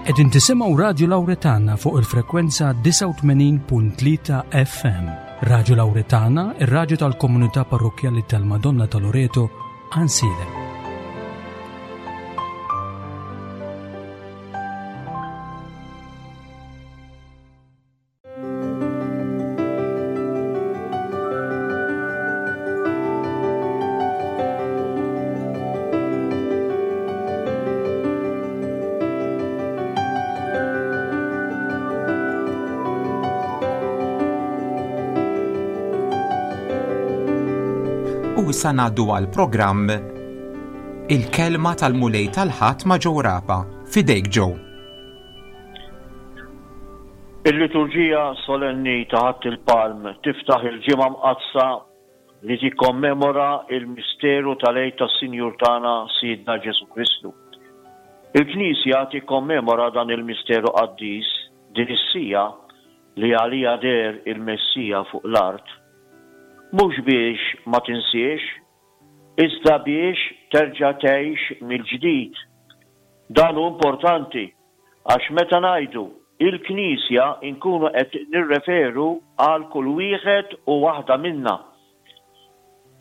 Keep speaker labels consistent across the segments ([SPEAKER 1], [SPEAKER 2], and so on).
[SPEAKER 1] Qegħdin tisimgħu Radju Lawretana fuq il-frekwenza 89.3 FM. Radju Lawretana, ir-radju tal-komunità parrokkjali tal-Madonna ta' Loreto, Għansielem.
[SPEAKER 2] U issa ngħaddu għal programm Il-kelma tal-Mulej tal-Ħadd ma' Joe Rapa. Fidejk Joe.
[SPEAKER 3] Il-liturġija solenni ta' Ħadd il-Palm tiftaħ il-Ġimgħa Mqaddsa li tikkommemora l-misteru tal-Għid tas-Sinjur tagħna Sidna Ġesù Kristu. Il-Knisja tikkommemora dan il-misteru qaddis din is-siegħa li għaliha deher il-Messija fuq l-art, mhux biex ma tinsiex, iżda biex terġa' tgħix mill-ġdid. Dan hu importanti għax meta ngħidu il-Knisja nkunu qed nirreferu għal kull wieħed u waħda minna.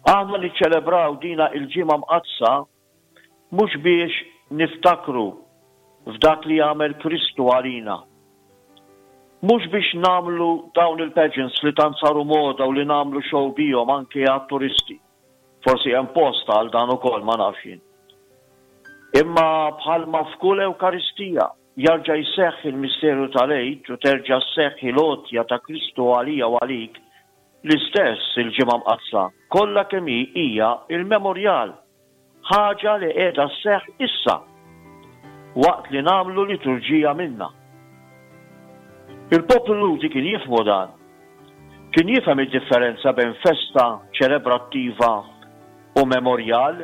[SPEAKER 3] Aħna niċċelebraw dina il-Ġimgħa Mqaddsa mhux biex niftakru f'dak li għamel Kristu għalina. Mhux biex nagħmlu dawn il-pageants li tant saru moda u li nagħmlu show bihom anke għat-turisti. Forsi hemm post għal dan ukoll ma nafx jien. Imma bħalma f'kull Ewkaristija jarġa' jseħħ il-misteru tal-Għid u terġa' sseħħ il-għotja ta' Kristu għalija u għalik, l-istess il-Ġimgħa Mqaddsa kollha kemm hi hija l-memorjal, ħaġa li qiegħda sseħħ issa waqt li nagħmlu liturġija minnha. Il-poplu Lhudi kien jifhmu dan. Kien jifhem id-differenza bejn festa ċelebrattiva u memorjal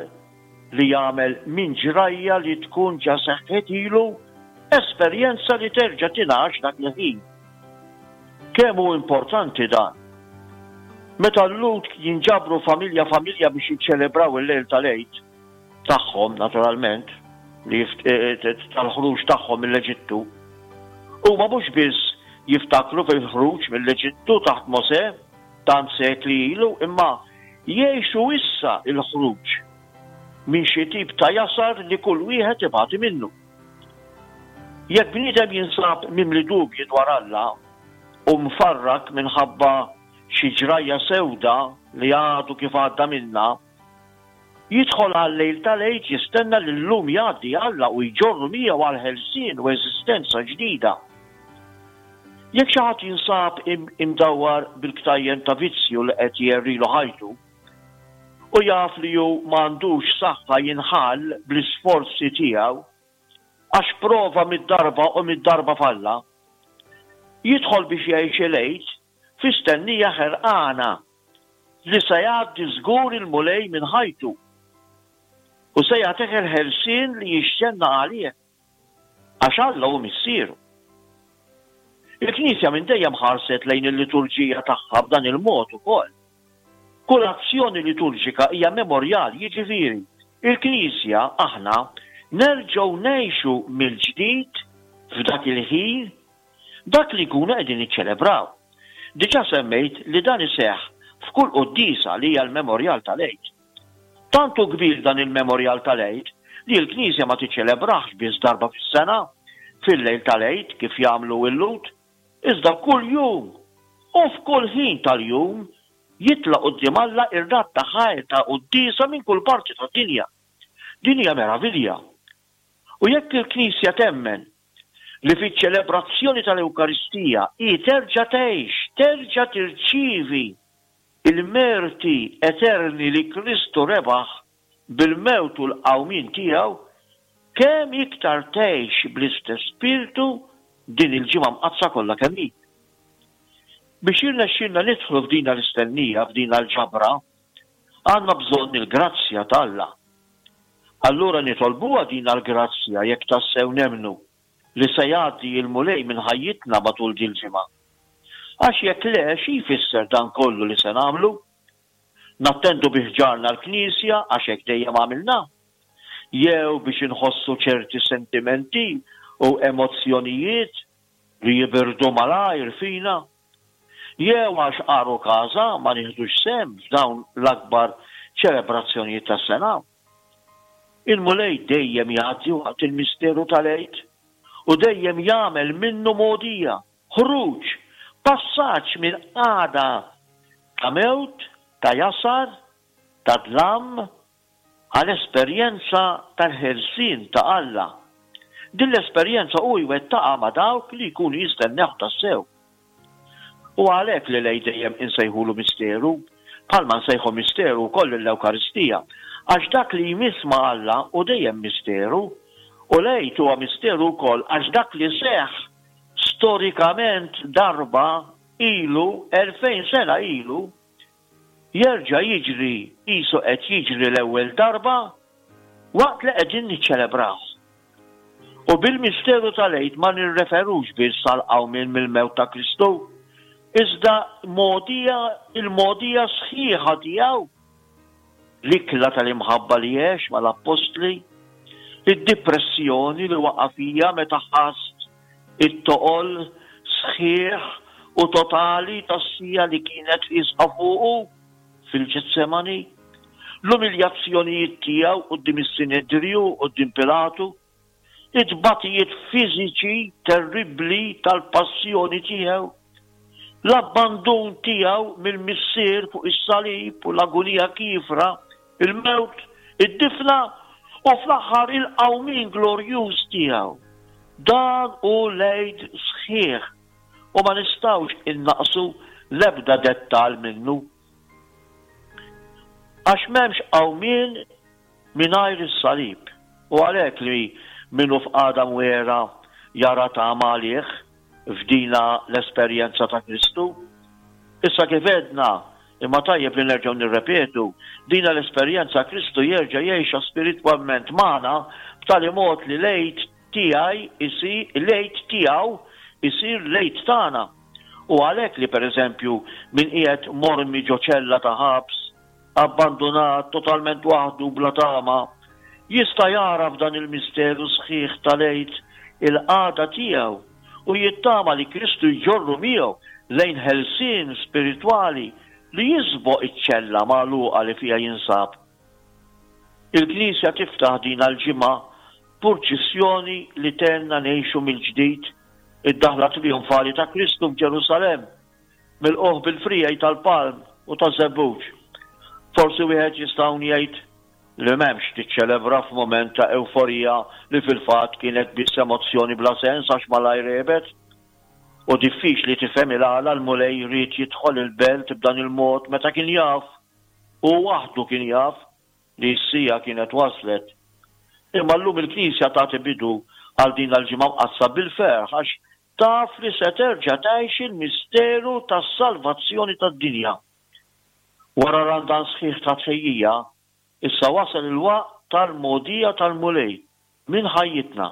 [SPEAKER 3] li jagħmel minn ġrajja li tkun ġa seħħet ilu esperjenza li terġa' tingħax dak il-ħin. Kemm hu importanti dan! Meta l-Lhud jinġabru familja familja biex jiċċelebraw il-lejl tal-Għid, tagħhom, naturalment, li tal-ħruġ tagħhom mill-Eġittu. Huma mhux biss jiftakru fil-ħruġ mill-Eġittu taħt Mosè tant sekli ilu, imma jgħixu issa l-ħruġ minn xi tip ta' jasar li kull wieħed ibati minnu. Jekk bniedem jinsab mimli dubji dwar Alla u mfarrak minħabba xi ġrajja sewda li għadu kif għadda minnha, Jidħol għal-lejl tal-Għid jistenna li llum jgħaddi Alla u jġorru miegħu għal ħelsien u eżistenza ġdida. Jekk xi ħadd jinsab imdawwar bil-ktajjen ta' vizzju li qed jgħerrilu ħajtu, u jaf li hu m'għandux saħħa jinħall bl-isforzi tiegħu, għax prova mid-darba u mid-darba falla, jidħol biex jgħix il-Għid fi stennija ħerqana li se jgħaddi żgur il-Mulej minn ħajtu u se jagħtih il-ħelsien li jixxennaq għalih, għax Alla hu Missieru. Il-Knisja minn dejjem ħarset lejn il-liturġija tagħha b'dan il-mod ukoll. Kull azzjoni liturġika hija memorjal, jiġifieri, il-Knisja, aħna, nerġgħu ngħixu mill-ġdid f'dak il-ħin Dak li nkunu qegħdin niċċelebraw. Diġà semmejt li dan iseħħ f'kull quddiesa li hija l-memorjal tal-Għid. Tant hu kbir dan il-memorjal tal-Għid li l-Knisja ma tiċċelebrahx biss darba fis-sena, fil-lejl tal-Għid kif jagħmlu l-Lhud, iżda kull jum u f'kull ħin tal-jum jitla' quddiem Alla r-radd ta' ħajr ta' quddiesa minn kull parti tad-dinja. Din hija meravilja. U jekk il-Knisja temmen li fiċ-ċelebrazzjoni tal-Ewkaristija hi terġa' tgħix, terġa' tirċievi l-merti eterni li Kristu rebaħ bil-mewt u l-qawmien tiegħu, kemm iktar tgħix bl-istess spirtu din il-Ġimgħa Mqaddsa kollha kemm hi. Biex jirnexxielna nidħlu f'dina l-istennija, f'dina l-ġabra, għandna bżonn il-grazzja t'Alla. Allura nitolbuha dina l-grazzja jekk tassew nemmnu li se jgħaddi l-Mulej minn ħajjitna matul dil-ġimgħa. Għax jekk le, xi jfisser dan kollu li se nagħmlu? Nattendu bi ħġarna l-knisja għax hekk dejjem għamilna? Jew biex inħossu ċerti sentimenti? u emozzjonijiet li jibirdu malajr fina? Jew għax għarukaża ma nieħdux sehem f'dawn l-akbar ċelebrazzjonijiet tas-sena? Il-Mulej dejjem jgħaddi waqt il-misteru tal-Għid u dejjem jagħmel minnu mogħdija, ħruġ, passaġġ minn qagħda ta' mewt, ta' jasar, ta' dlam, għal esperjenza tal-ħelsien ta' Alla. Din l-esperjenza hu jwettaqha ma' dawk li jkunu jistennewh tassew. Hu għalhekk li l-Għid dejjem insejħulu misteru, bħalma nsejħu misteru wkoll lill-Ewkaristija, għax dak li jmiss ma' Alla hu dejjem misteru, u l-Għid huwa misteru wkoll għax dak li seħħ storikament darba ilu, 2000 sena ilu, jerġa' jiġri qisu qed jiġri l-ewwel darba waqt li qegħdin niċċelebrawh. U bil-misteru tal-Għid ma nirreferux biss għall-qawmien mill-mewt ta' Kristu, iżda mogħdija il-mogħdija sħiħa tiegħu, l-ikla tal-imħabba li għex mal-appostli, id-dipressjoni li waqa' fiha meta ħass it-toqol sħiħ u totali tas-siegħa li kienet iesqa fuqu fil-Ġetsemani, l-umiljazzjonijiet tiegħu quddiem is-Sinedriju u quddiem Pilatu, it-tbatijiet fiżiċi terribbli tal-passjoni tiegħu, l-abbandun tiegħu mill-Missier fuq is-salib u l-agunija kiefra, il-mewt, id-difna u fl-aħħar il-qawmien glorjuż tiegħu. Dan hu l-Għid sħiħ u ma nistgħux innaqqsu l-ebda dettall minnu. Għax m'hemmx qawmien mingħajr is-salib u għalhekk li min hu f'qagħda mwiegħra jara tama għalih f'dina l-esperjenza ta' Kristu. Issa kif għedna, imma tajjeb li nerġgħu nirrepetu, dina l-esperjenza Kristu jerġa' jgħixha spiritwalment magħna b'tali mod li l-Għid tiegħi jsir l-Għid tiegħu jsir l-Għid tagħna. U għalhekk li pereżempju min qiegħed mormi ġo ċella ta' ħabs, abbandunat, totalment waħdu bla tama, jista' jara f'dan il-misteru sħiħ tal-Għid il-qagħda tiegħu u jittama li Kristu jġorru miegħu lejn ħelsien spiritwali li jisboq iċ-ċella magħluqa li fiha jinsab. Il-Knisja tiftaħ din l-ġimgħa purċissjoni li tgħinna ngħixu mill-ġdid id-daħla trijonfali ta' Kristu f'Ġerusalemm, milqugħ bil-friegħi tal-palm u taż-żebbuġ. Forsi wieħed jista' hawn jgħid li m'hemmx tiċċelebra f'mument ta' ewforija li fil-fatt kienet biss emozzjoni bla sens għax malajr għebet. U diffiċli tifhem il-għala l-Mulej ried jidħol il-belt b'dan il-mod meta kien jaf, hu waħdu kien jaf, li s-siegħa kienet waslet. Imma llum il-Knisja tagħti bidu għal din l-Ġimgħa Mqaddsa bil-ferħ għax taf li se terġa' tgħix il-misteru tas-salvazzjoni tad-dinja. Wara Randan sħiħ ta' tħejjija, issa wasal il-waqt tal-mogħdija tal-Mulej minn ħajjitna.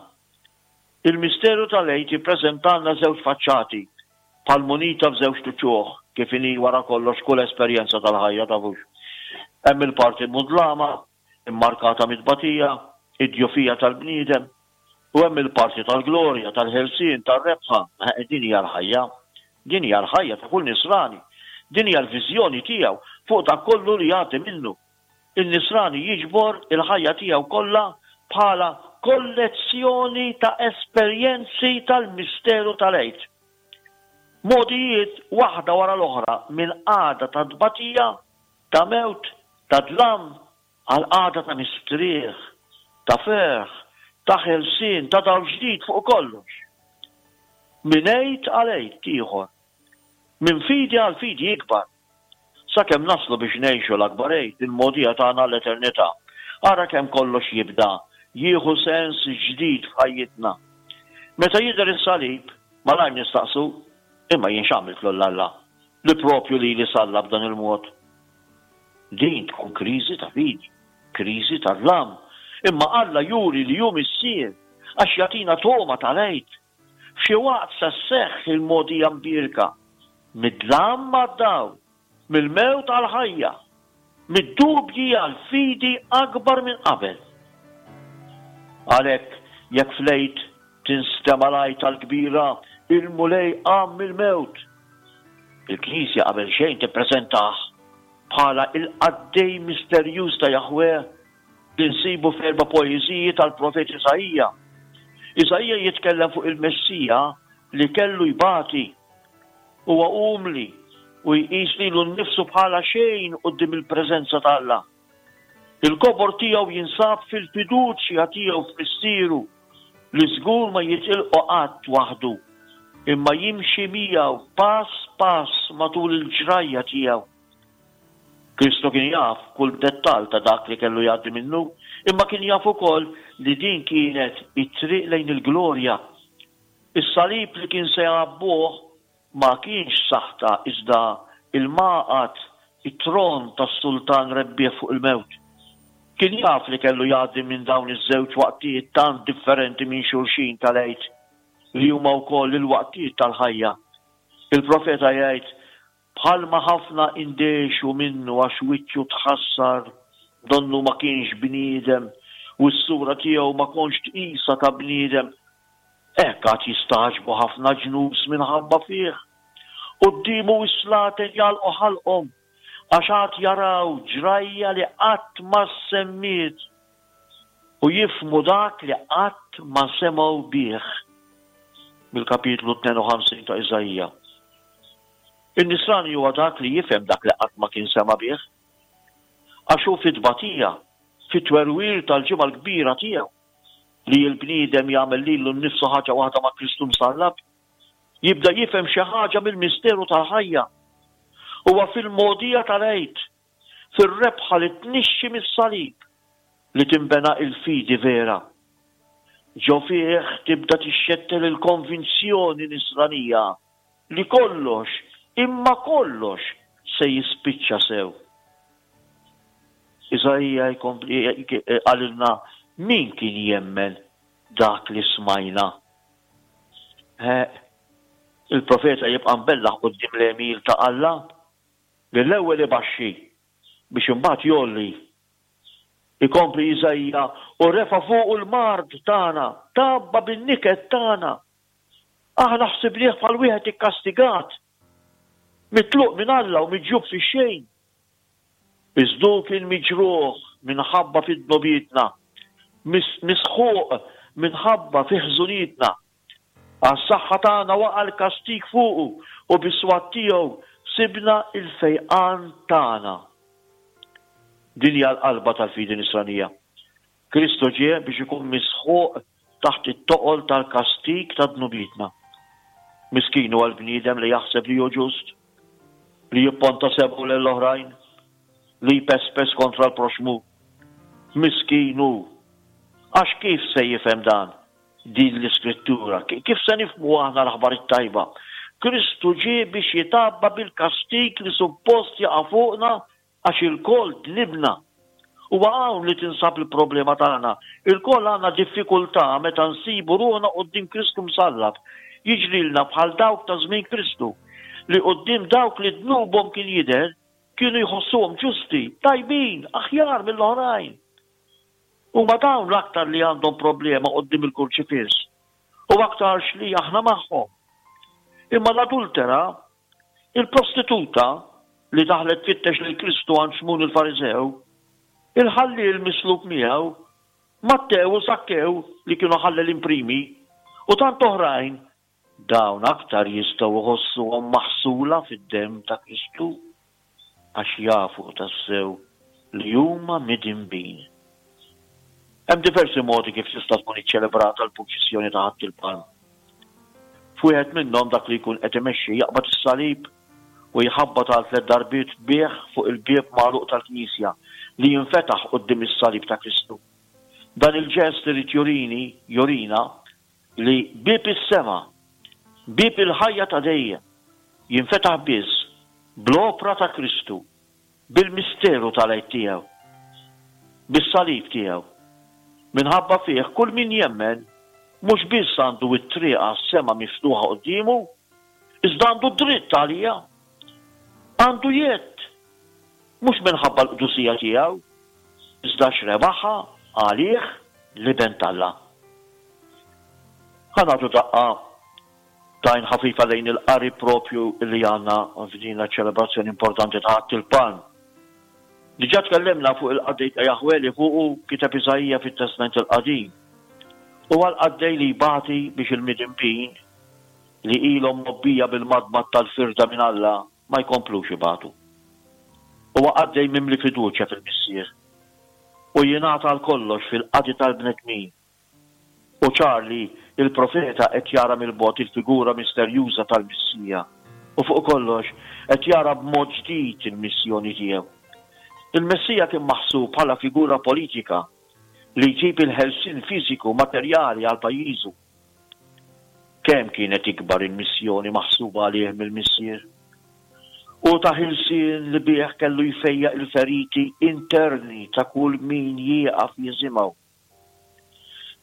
[SPEAKER 3] Il-misteru tal-Għid jippreżentalna żewġ faċċati, bħal munita f'żewġt uċuħ, kif inhi wara kollox kull esperjenza tal-ħajja, tafux. Hemm il-parti mudlama, immarkata mit-tbatija, id-djufija tal-bniedem, u hemm il-parti tal-glorja, tal-ħelsien, tar-rebħa. Din hija l-ħajja. Din hija l-ħajja ta' kull Nisrani. Din hija l-viżjoni tiegħu fuq dak kollu li jgħaddi minnu. In-Nisrani jiġbor il-ħajja tiegħu kollha bħala kollezzjoni ta' esperjenzi tal-misteru tal-Għid. Mogħdijiet waħda wara l-oħra minn qagħda ta' tbatija, ta' mewt, ta' dlam, għal qagħda ta' mistrieħ, ta' ferħ, ta' ħelsien, ta' dawl ġdid fuq kollox. Minn Għid għal Għid ieħor, minn fidi għal fidi ikbar, sakemm naslu biex ngħixu l-akbar Għid, il-mogħdija tagħna għall-eternità. Ara kemm kollox jibda jieħu sens ġdid f'ħajjitna. Meta jidher is-salib, malajr nistaqsu, Imma jien x'għamilt lil Alla li propju lili sallab b'dan il-mod? Din tkun kriżi ta' fidi, kriżi ta' dlam. Imma Alla juri li hu Missier għax jagħtina togħma tal-Għid. F'xi waqt se sseħħ il-mogħdija mbierka, mid-dlam għad-dawl, mill-mewt għall-ħajja, mid-dubji għal fidi akbar minn qabel. Għalhekk, jekk fl-Għid. Tinstema' l-għajta l-kbira, Il-Mulej qam mill-mewt! Il-Knisja qabel xejn tippreżentah bħala il-qaddej misterjuż ta' Jaħweh li nsibu f'erba' poeżiji tal-profet Iżaija. Iżaija jitkellem fuq il-Messija li kellu jbati. Huwa umli u jqis lilu nnifsu bħala xejn quddiem il-preżenza t'Alla. Il-kobor tiegħu jinsab fil-fiduċja tiegħu f'Missieru li żgur ma jitilqu qatt waħdu, imma jimxi miegħu pass pass matul il-ġrajja tiegħu. Kristu kien jaf kull dettall ta' dak li kellu jgħaddi minnu, imma kien jaf ukoll li din kienet it-triq lejn il-glorja. Is-salib li kien se jgħabbuh Ma kienx saħta iżda l-magħqad, it-tron tas-sultan rebbieħ fuq il-mewt. Kien jaf li kellu jgħaddi minn dawn iż-żewġ waqtiet tant differenti minn xulxin tal-Għid, li huma wkoll il-waqtiet tal-ħajja. Il-profeta jgħid, Bħalma ħafna indehxu minnu għax wiċċu tħassar, donnu ma kienx bniedem, u s-sura tiegħu ma kontx tqisha ta' bniedem, Hekk għad jistagħġbu ħafna ġnus minħabba fih. Quddiemu s-slaten jagħlqu ħalqhom, għax għad jaraw ġrajja li qatt ma ssemmiet, u jifhmu dak li qatt ma semgħu bih. Mill-kapitlu 52 ta' Iżaija. In-Nisrani huwa dak li jifhem dak li qatt ma kien sema' bih. Għax hu fit-tbatija, fit-twerwir tal-Ġimgħa l-Kbira tiegħu, li l-bniedem jagħmel lilu nnifsu ħaġa waħda ma' Kristu msallab, jibda jifhem xi ħaġa mill-misteru tal-ħajja. Huwa fil-mogħdija tal-Għid, fir-rebħa li tnixxi mis-salib, li tinbena l-fidi vera. Ġo fih tibda tixxettel il-konvinzjoni nisranija li kollox, imma kollox, se jispiċċa sew. Iżaija jkompli qalilna min kien jemmen dak li smajna. Il-profeta jibqa' mbellaħ quddiem l-għemil ta' Alla li l-ewwel ibaxxi biex imbagħad jgħolli. Ikompli Iżaija u refa' fuqu l-mard tagħna, tgħabba bin-niket tagħna. Aħna ħsibnieh bħal wieħed ikkastigat, mitluq minn Alla u miġjub fix-xejn. Iżda hu kien miġruħ minħabba fi dnubietna, misħuq minħabba fi ħżunietna. Għas-saħħa tagħna waqa' l-kastig fuqu u bis-swat tiegħu sibna l-fejqan tagħna. Din hija l-qalba tal-fidi Nisranija. Kristu ġie biex ikun misħuq taħt it-toqol tal-kastig ta' dnubietna. Miskin huwa l-bniedem li jaħseb li hu ġust, li jipponta sebgħu lejn l-oħrajn, li jpespes kontra l-proxxmu. Miskin hu! Għax kif se jifhem dan, din l-Iskrittura? Kif se nifhmu aħna l-aħbar it-tajba? Kristu ġie biex jitgħabba bil-kastig li suppost jaqa' fuqna Għax ilkoll dnibna. Huwa hawn li tinsab il-problema tagħna. Ilkoll għandna diffikultà meta nsibu ruħna quddiem Kristu msallab. Jiġrilna bħal dawk ta' żmien Kristu, li quddiem dawk li dnubhom kien jidher, kienu jħossuhom ġusti, tajbin, aħjar mill-oħrajn. Huma dawn l-aktar li għandhom problema quddiem il-Kurċifiss, u aktarx li aħna magħhom. Imma l-adultera Il-prostituta, li daħlet tfittex lil Kristu għand Xmun il-Fariżew, il-ħalliel mislub miegħu, Mattew u Żakkew li kienu ħallelin primi, u tant oħrajn, dawn aktar jistgħu jħossuhom maħsula fid-demm ta' Kristu, għax jafu tassew li huma midinbin. Hemm diversi modi kif tista' tkun iċċelebrata l-purċissjoni ta' Ħadd il-Palm. F'wieħed minnhom dak li jkun qed imexxi jaqbad is-salib u jħabbat għal tlett darbiet bih fuq il-bieb magħluq tal-knisja li jinfetaħ quddiem is-salib ta' Kristu. Dan il-ġest irid jurini, jurina, li bieb is-sema, bieb il-ħajja ta' dejjem, jinfetaħ biss bl-opra ta' Kristu bil-misteru tal-Għid tiegħu, bis-salib tiegħu. Minħabba fih kull min jemmen mhux biss għandu t-triq għas-sema miftuħa quddiemu, iżda għandu dritt għaliha. Għandu jedd, mhux minħabba l-qdusija tiegħu, iżda għax rebaħha għalih l-Iben t'Alla. Ħa nagħtu daqqa t'għajn ħafifa lejn il-qari propju li għandna f'din ċ-ċelebrazzjoni importanti ta' Ħadd il-Palm. Diġà tkellimna fuq il-qaddej ta' Jaħweh li fuqu kiteb Iżaija fit-Testment il-Qadim. Huwa l-qaddej li jbati biex il-midinbin, li ilhom mgħobbija bil-madmad tal-firda minn Alla, ma jkomplux ibatu. Huwa qaddej mimli fiduċja fil-Missier u jingħata għal kollox fil-qadi tal-bnedmin. Hu ċar li l-profeta qed jara mill-bogħod il-figura misterjuża tal-Messija u fuq kollox qed jara b'mod ġdid il-missjoni tiegħu. Il-Messija kien maħsub bħala figura politika li jġib il-ħelsien fiżiku materjali għal pajjiżu. Kemm kienet ikbar il-missjoni maħsuba għalih mill-Missier! Hu ta ħelsien li bih kellu jfejjaq il-feriti interni ta' kull min jieqaf jisimgħu.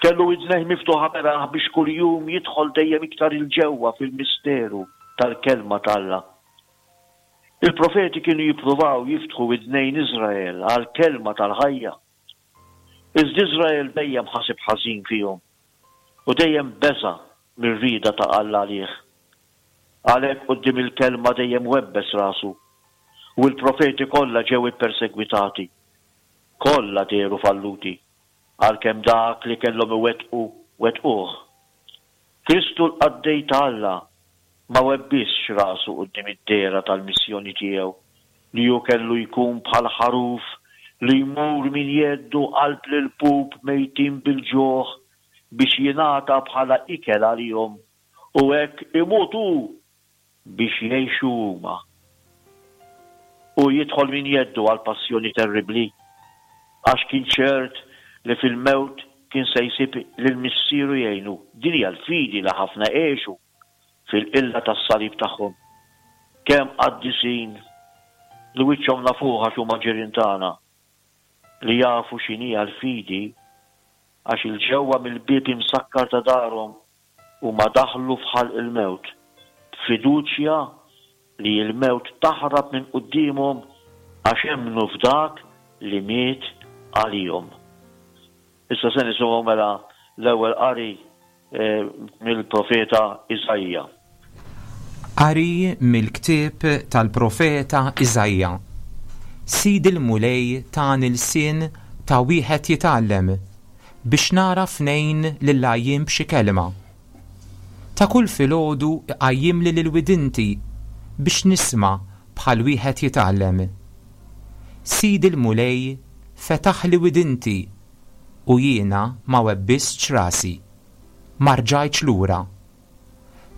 [SPEAKER 3] Kellu widnejh miftuħa beraħ biex kuljum jidħol dejjem iktar 'il ġewwa fil-misteru tal-Kelma t'Alla. Il-profeti kienu jippruvaw jiftħu widnejn Iżrael għall-Kelma tal-ħajja. Iżda Iżrael dejjem ħaseb ħażin fihom u dejjem beża' mir-rieda ta' Alla għalih. Għalhekk quddiem il-Kelma dejjem webbes rasu, u l-profeti kollha ġew ippersegwitati. Kollha dehru falluti, għalkemm dak li kellhom iwettqu, wettquh. Kristu l-qaddej ta' Alla ma webbisx rasu quddiem id-dehra tal-missjoni tiegħu li hu kellu jkun bħal ħaruf li jmur minn jeddu qalb l-ilpup mejtin bil-ġuħ biex jingħata bħala ikel għalihom u hekk imut hu biex jgħixu huma. Hu jidħol minn jeddu għall-passjoni terribbli, għax kien ċert li fil-mewt kien se jsib lil Missieru jgħinu. Din hija l-fidi li ħafna għexu fil-qilla tas-salib tagħhom. Kemm qaddisin, li wiċċhom nafuh għax huma ġirien tagħna, li jafu x'inhija l-fidi għax 'il ġewwa mill-bieb imsakkar ta' darhom Huma daħlu f'ħalq il-mewt, b'fiduċja li l-mewt taħrab minn quddiemhom għax emmnu f'dak li miet għalihom. Issa se nisimgħu mela l-ewwel qari mill-profeta Iżaija.
[SPEAKER 2] Qari mill-ktieb tal-profeta Iżaija. Sidi l-Mulej tani lsien ta' wieħed jitgħallem, biex nagħraf ngħin lill-għajjien b'xi kelma. Ta' kull filgħodu iqajjimli lil widinti biex nisma' bħal wieħed jitgħallem. Sidi l-Mulej fetaħli widinti u jiena ma webbistx rasi. Ma rġajtx lura.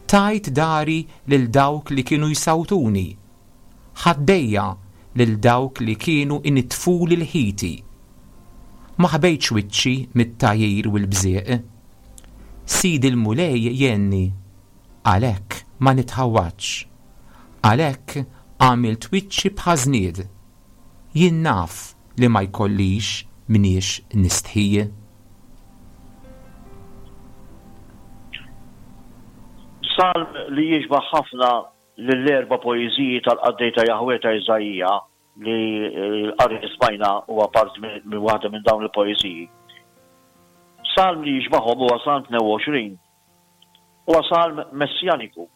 [SPEAKER 2] Tajt dari lil dawk li kienu jsawtuni, ħaddejja lil dawk li kienu inittfuli l-ħiti. Ma ħbejtx wiċċi mit-tgħajjir u l-bżieq. Sidi l-Mulej jgħinni, għalhekk ma nitħawwadx. Għalhekk għamilt wiċċi bħaż-żnied. Jien naf li ma jkollix mniex nistħi.
[SPEAKER 3] Salm li jixbah ħafna lill-erba' poeżiji tal-qaddej ta' Jaħweh ta' Iżaija, li l-qari li smajna huwa parti minn waħda minn dawn il-poeżiji. Salm li jixbahhom huwa Salm 22. Huwa salm messjaniku.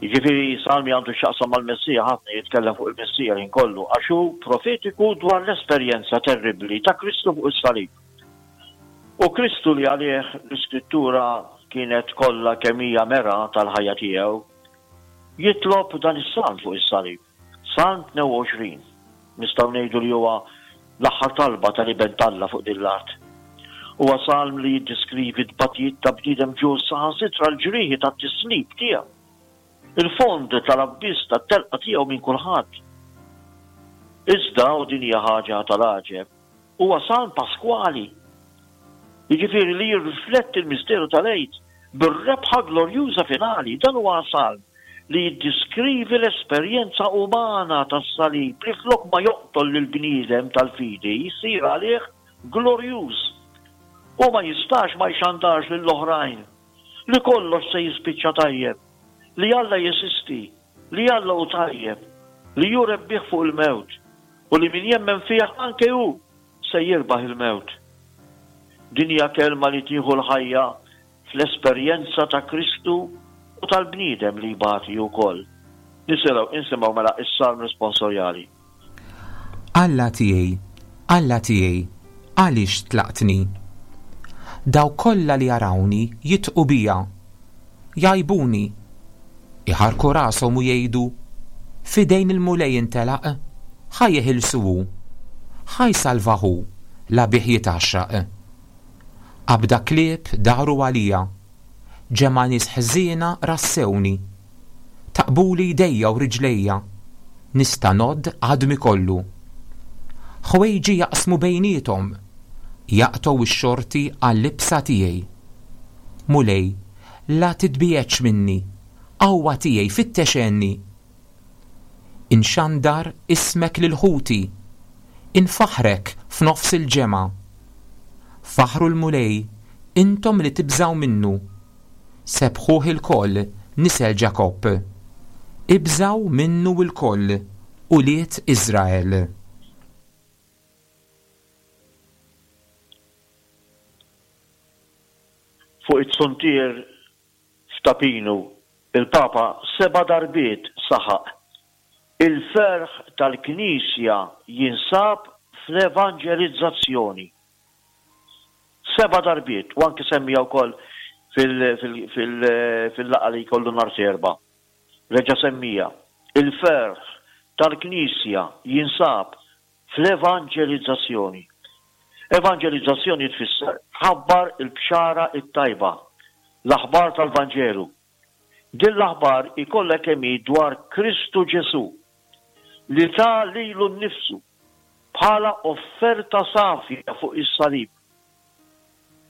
[SPEAKER 3] Jiġifieri salm li għandu x'jaqsam mal-Messija, ħafna jitkellem fuq il-Messija l-ħin kollu, għax hu profetiku dwar l-esperjenza terribbli ta' Kristu fuq is-salib. U Kristu li għalih l-Iskrittura kienet kollha kemm hija mera tal-ħajja tiegħu, jitlob dan is-salm fuq is-salib. Salm 22, nistgħu ngħidu li huwa l-aħħar talba tal-Iben t'Alla fuq din l-art. Huwa salm li jiddeskrivi t-tbatijiet ta' bniedem ġust saħansitra l-ġrieħi tat-tislib tiegħu, il-fond tal-abbiss tat-telqa tiegħu minn kulħadd. Iżda, u din hija ħaġa tal-għaġeb, Huwa salm paskwali, jiġifieri li jirrifletti l-misteru tal-Għid bir-rebħa glorjuża finali. Dan huwa salm li jiddiskrivi l-esperjenza umana tas-salib li flok ma joqtol lill-bniedem tal-fidi jsir għalih glorjuż. Hu ma jistax ma jxandarx lill-oħrajn li kollox se jispiċċa tajjeb, li Alla jeżisti, li Alla hu tajjeb, li hu rebbieħ fuq il-mewt, u li min jemmen fih anke hu se jirbaħ il-mewt. Din hija kelma li tieħu l-ħajja. fl-esperjenza ta' Kristu u tal-bniedem li jbati wkoll. Nisimgħu, insimgħu mela s-Salm responsorjali.
[SPEAKER 2] Alla tiegħi, Alla tiegħi, għaliex tlaqtni? Dawk kollha li jarawni jidħqu bija. Jgħajbuni. Iħarrku rashom u jgħidu, F'idejn il-Mulej intelaq, ħa jeħilsu hu. Ħa jsalvah hu, la bih jitgħaxxaq. Qabda klieb daru għalija. Ġemgħa nies ħżiena rassewni. Taqbuli jdejja u riġlejja. Nista' ngħodd għadmi kollu. Ħwejġi jaqsmu bejniethom. Jaqtgħu x-xorti għal-libsa tiegħi. Mulej, la titbiegħedx minni, qawwa tiegħi fittex għenni. Inxandar ismek lil ħuti, infaħħrek f'nofs il-ġemgħa. Faħħru l-Mulej, intom li tibżgħu minnu. Sebbħuh ilkoll, nisel Ġakobb. Ibżgħu minnu lkoll, ulied Iżrael.
[SPEAKER 3] Fuq it-zuntier f'Ta' Pinu, il-Papa seba' darbiet saħaq, Il-ferħ tal-Knisja jinsab fl-evanġelizzazzjoni. Seba' darbiet, u anki semmiha wkoll fil-laqgħa li jkollu nhar t-Erbgħa. Reġa' semmiha, Il-ferħ tal-Knisja jinsab fl-evanġelizzazzjoni. Evanġelizzazzjoni tfisser tħabbar il-bxara t-tajba, l-aħbar tal-Vanġelu. Din l-aħbar hi kollha kemm hi dwar Kristu Ġesù, li ta lilu nnifsu bħala offerta safja fuq is-salib.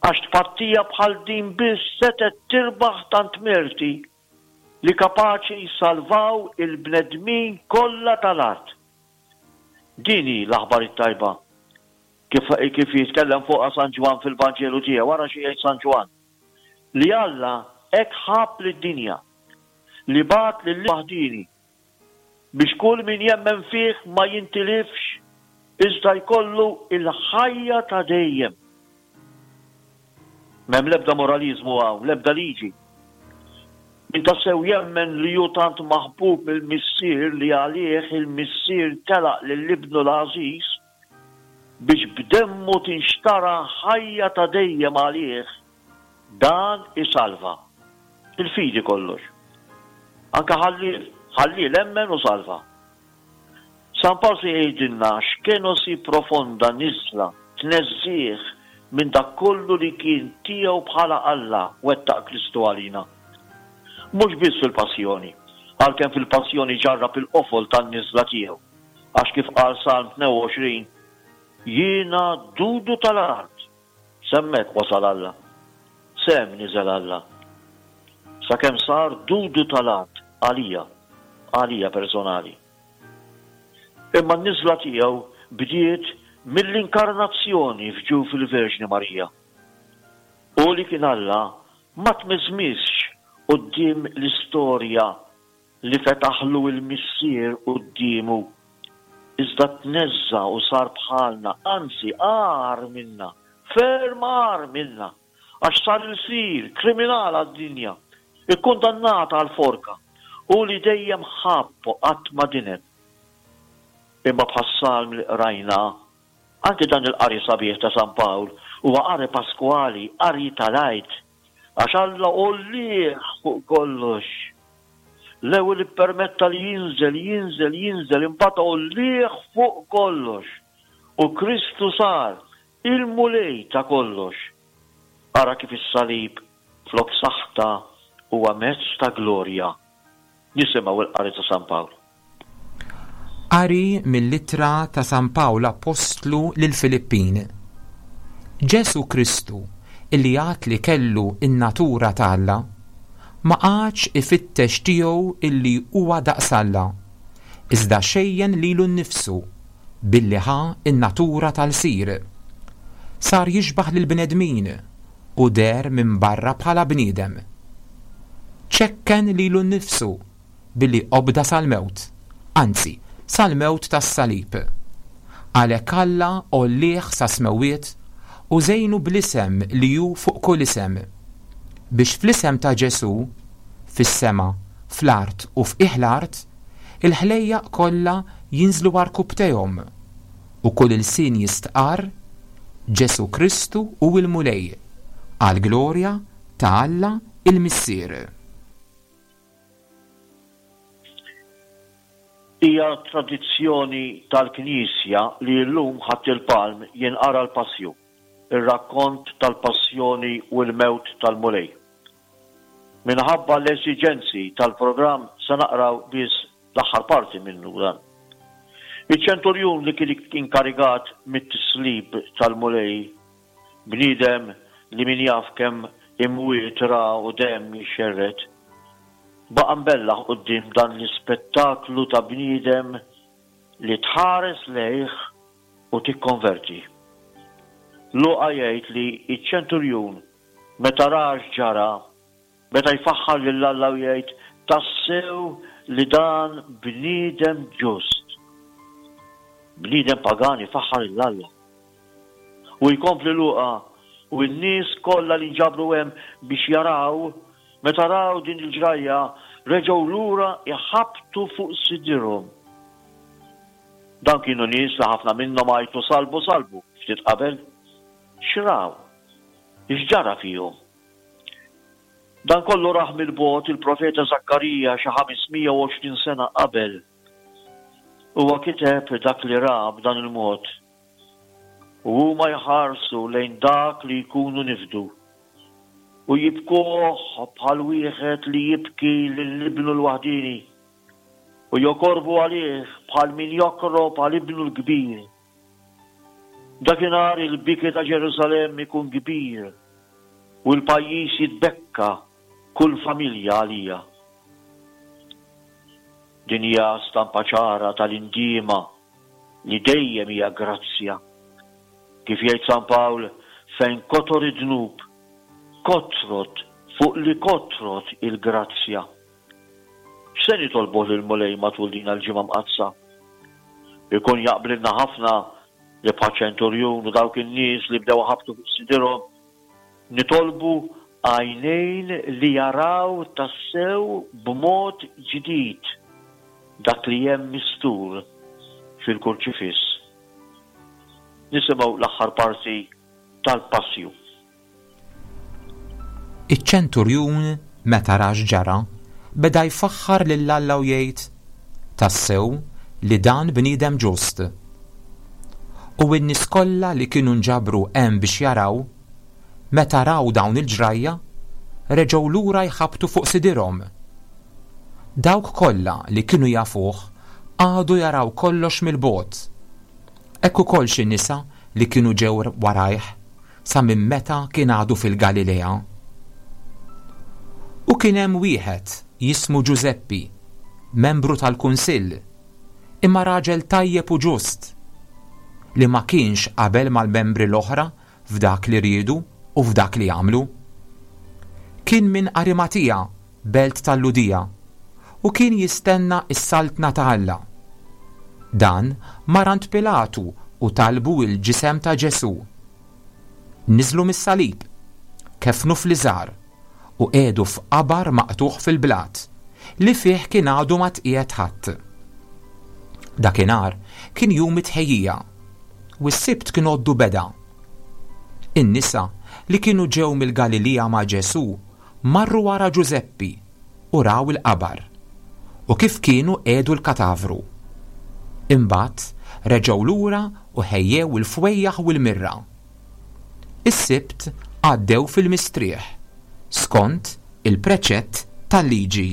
[SPEAKER 3] Għax tpattija bħal din biss setgħet tirbaħ tant merti li kapaċi jsalvaw il-bnedmin kollha tal-art. Din hi l-aħbar it-tajba, kif kif jitkellem fuqha San Ġwann fil-Vanġelu tiegħu. Ara xi jgħid San Ġwann, Li Alla hekk ħabb lid-dinja, li bagħat lil waħdieni, biex kull min jemmen fih ma jintilifx iżda jkollu l-ħajja ta' dejjem. M'hemm l-ebda moraliżmu hawn, l-ebda liġi. Min tassew jemmen li hu tant maħbub mill-Missier li għalih il-Missier telaq lil Ibnu l-għażiż biex b'demmu tinxtara ħajja ta' dejjem għalih, dan isalva. Il-fidi kollox. Anke ħalliel, ħalliel emmen u salva. San Pawl se jgħidilna x'kenosi profonda niżla, tneżżigħ minn dak kollu li kien tiegħu bħala Alla wettaq Kristu għalina. Mhux biss fil-passjoni, għalkemm fil-passjoni ġarrab il-qofol tan-niżla tiegħu, għax kif qal Salm 22, Jiena dudu tal-art, S'hemmhekk wasal Alla. S'hemm niżel Alla. Sakemm sar dudu tal-art għalija, għalija personali. Imma n-niżla tiegħu bdiet mill-inkarnazzjoni f'ġuf il-Verġni Marija. Hu li kien Alla ma tmiżmiżx quddiem l-istorja li fetaħlu l-Missier quddiemu, iżda tneżża' u sar bħalna, anzi agħar minna, ferm agħar minna, għax sar ilsir, kriminal għad-dinja, ikkundannat għall-forka, hu li dejjem ħabb u qatt ma dineb. Imma bħas-salm li qrajna, anki dan il-qari sabiħ ta' San Pawl huwa qari paskwali, qari tal-Għid, Għax Alla għollieh fuq kollox. L-ewwel ippermetta li jinżel, jinżel, jinżel, imbagħad għollieh fuq kollox. U Kristu sar il-Mulej ta' kollox. Ara kif is-salib flok saħta huwa mezz ta' glorja. Nisimgħu l-qari ta' San Pawl.
[SPEAKER 2] Qari mill-Ittra ta' San Pawl Appostlu lill-Filippin. Ġesù Kristu, li għad li kellu n-natura ta' Alla, ma qagħadx ifittex tiegħu illi huwa daqs Alla, iżda xejjen lilu nnifsu billi ħa n-natura ta' lsir. Sar jixbah lill-bnedmin u deher minn barra bħala bniedem. Ċekken lilu nnifsu billi obda sal-mewt, anzi, sal-mewt tas-salib. Għalhekk Alla għollieh sas-smewwiet u żejnu bl-isem li hu fuq kull isem. Biex fl-isem ta' Ġesù, fis-sema, fl-art u f'qiegħ l-art, il-ħlejjaq kollha jinżlu għarkupptejhom, u kull ilsien jistqarr, Ġesù Kristu hu l-Mulej, għall-glorja ta' Alla l-Missier.
[SPEAKER 3] Hija tradizzjoni tal-Knisja li llum Ħadd il-Palm jinqara l-Passju, ir-rakkont tal-passjoni u l-mewt tal-Mulej. Minħabba l-esiġenzi tal-programm se naqraw biss l-aħħar parti minnu dan. Iċ-ċenturjun li kien inkarigat mit-tislib tal-Mulej, bniedem li min jaf kemm imwiet ra u demm jixxerred, baqa' mbellaħ quddiem dan l-ispettaklu ta' bniedem li tħares lejh u tikkonverti. Luqa jgħid li ċ-ċenturjun meta ra x'ġara, beda jfaħħar lil Alla u jgħid, Tassew li dan bniedem ġust. Bniedem pagan ifaħħar lil Alla. U jkompli Luqa, U n-nies kollha li nġabru hemm biex jaraw, meta raw din il-ġrajja, reġgħu lura jħabbtu fuq sidirhom. Dawn kienu nies li ħafna minnhom għajtu sallbu sallbu ftit qabel. X'raw? X'ġara fihom? Dan kollu rah mill-bogħod il-profeta Żakkarija xi 520 sena qabel. Huwa kiteb dak li ra b'dan il-mod, U huma jħarsu lejn dak li jkunu nifdu, u jibkuh bħal wieħed li jibki lil ibnu l-waħdieni, u jokorbu għalih bħal min jokrob għal ibnu l-kbir. Dakinhar il-biki ta' Ġerusalemm ikun kbir, u l-pajjiż jitbekka kull familja għalija. Din hija stampa ċara tal-indiema li dejjem hija grazzja. Kif jgħid San Pawl, fejn kotor id-dnub, kotrot fuq li kotrot il-grazzja. X'se nitolbuh lill-Mulej matul din l-Ġimgħa Mqaddsa? Ikun jaqblilna ħafna li bħaċ-ċenturjun u dawk in-nies li bdew iħabbtu fuq sidirhom, nitolbu għajnejn li jaraw tassew b'mod ġdid dak li hemm mistur fil-Kurċifiss. Nisimgħu l-aħħar parti tal-Passju.
[SPEAKER 2] Iċ-ċenturjun, meta ra x'ġara, beda jfaħħar lil Alla u jgħid, Tassew li dan bniedem ġust. U n-nies kollha li kienu nġabru hemm biex jaraw, meta raw dawn il-ġrajja, reġgħu lura jħabbtu fuq sidirhom. Dawk kollha li kienu jafuh qagħdu jaraw kollox mill-bogħod. Hekk ukoll xi nisa li kienu ġew warajh sa minn meta kien għadu fil-Galilea. U kien hemm wieħed jismu Ġużeppi, membru tal-kunsill, imma raġel tajjeb u ġust, li ma kienx qabel mal-membri l-oħra f'dak li riedu u f'dak li għamlu. Kien minn Arimatija, belt tal-Lhudija, u kien jistenna s-Saltna ta' Alla. Dan mar għand Pilatu u talbu l-ġisem ta' Ġesù. Niżlu mis-salib, keffnu fl-iżgħar, u qiegħdu f'qabar maqtugħ fil-blat, li fih kien għadu ma tqiegħed ħadd. Dakinhar kien jum it-tħejjija, u s-Sibt kien għoddu beda. In-nisa li kienu ġew mill-Galilija ma' Ġesù marru wara Ġużeppi u raw il-qabar, u kif kienu qiegħdu l-katavru. Imbagħad reġgħu lura u ħejjew il-fwejjaħ u l-mirra. Is-Sibt għaddew fil-mistrieħ, skont il-preċett tal-Liġi.